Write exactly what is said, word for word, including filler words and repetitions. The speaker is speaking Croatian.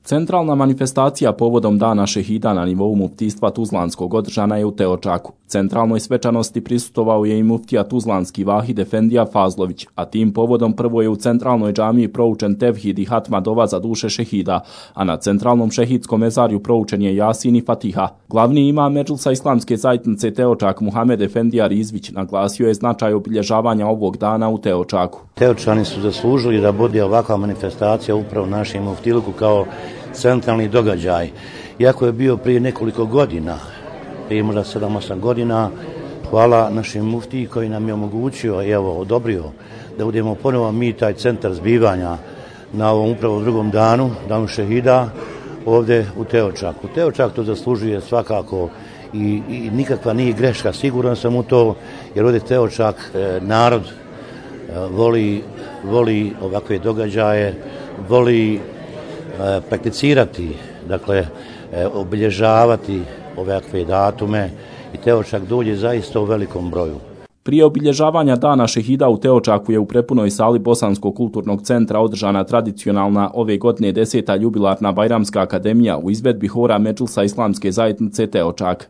Centralna manifestacija povodom Dana šehida na nivou muftijstva Tuzlanskog održana je u Teočaku. Centralnoj svečanosti prisustvovao je i muftija Tuzlanski Vahid Efendija Fazlović, a tim povodom prvo je u centralnoj džamiji proučen tevhid i hatma dova za duše šehida, a na centralnom šehidskom mezarju proučen je Jasin i Fatiha. Glavni imam Medžlisa Islamske zajednice Teočak Muhamed Efendija Rizvić naglasio je značaj obilježavanja ovog dana u Teočaku. Teočani su zaslužili da bude ovakva manifestacija upravo našem muftiluku kao centralni događaj. Iako je bio prije nekoliko godina, prije možda sedam osam godina, hvala našem muftiji koji nam je omogućio i evo odobrio da budemo ponovo mi taj centar zbivanja na ovom upravo drugom danu, danu šehida, ovdje u Teočaku. Teočak to zaslužuje svakako i, i nikakva nije greška, siguran sam u to, jer ovdje Teočak e, narod e, voli, voli ovakve događaje, voli e, prakticirati, dakle e, obilježavati ovakve datume i Teočak dođe zaista u velikom broju. Prije obilježavanja Dana šehida u Teočaku je u prepunoj sali Bosanskog kulturnog centra održana tradicionalna ove godine deseta jubilarna Bajramska akademija u izvedbi hora Medžlisa Islamske zajednice Teočak.